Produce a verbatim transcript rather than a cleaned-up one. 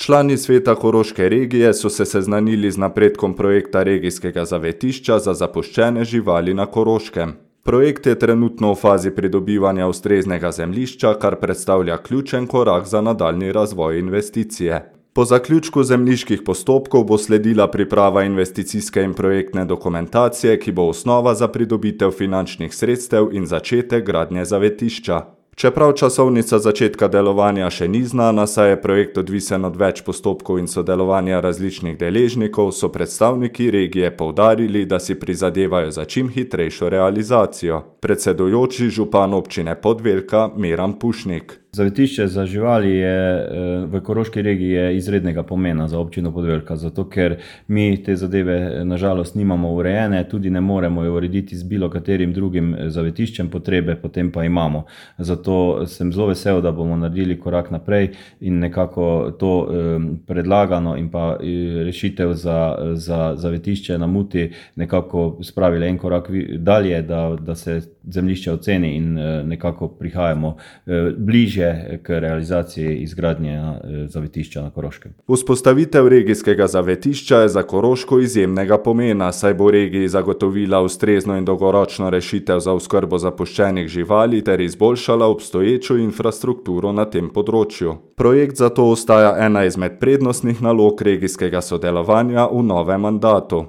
Člani sveta koroške regije so se seznanili z napredkom projekta regijskega zavetišča za zapuščene živali na Koroškem. Projekt je trenutno v fazi pridobivanja ustreznega zemljišča, kar predstavlja ključen korak za nadaljnji razvoj investicije. Po zaključku zemljiških postopkov bo sledila priprava investicijske in projektne dokumentacije, ki bo osnova za pridobitev finančnih sredstev in začetek gradnje zavetišča. Čeprav časovnica začetka delovanja še ni znana, saj je projekt odvisen od več postopkov in sodelovanja različnih deležnikov, so predstavniki regije poudarili, da si prizadevajo za čim hitrejšo realizacijo. Predsedujoči župan občine Podvelka Miran Pušnik. Zavetišče za živali je v Koroški regiji je izrednega pomena za občino Podvelka, zato ker mi te zadeve na žalost nimamo urejene, tudi ne moremo jo urediti z bilo katerim drugim zavetiščem, potrebe potem pa imamo. Zato sem zelo vesel, da bomo naredili korak naprej in nekako to predlagano in pa rešitev za, za zavetišče na Muti nekako spravili en korak dalje, da, da se zemljišče oceni in nekako prihajamo bližje k realizaciji izgradnje zavetišča na Koroškem. Vzpostavitev regijskega zavetišča je za Koroško izjemnega pomena, saj bo regiji zagotovila ustrezno in dolgoročno rešitev za oskrbo zapuščenih živali ter izboljšala obstoječo infrastrukturo na tem področju. Projekt zato ostaja ena izmed prednostnih nalog regijskega sodelovanja v novem mandatu.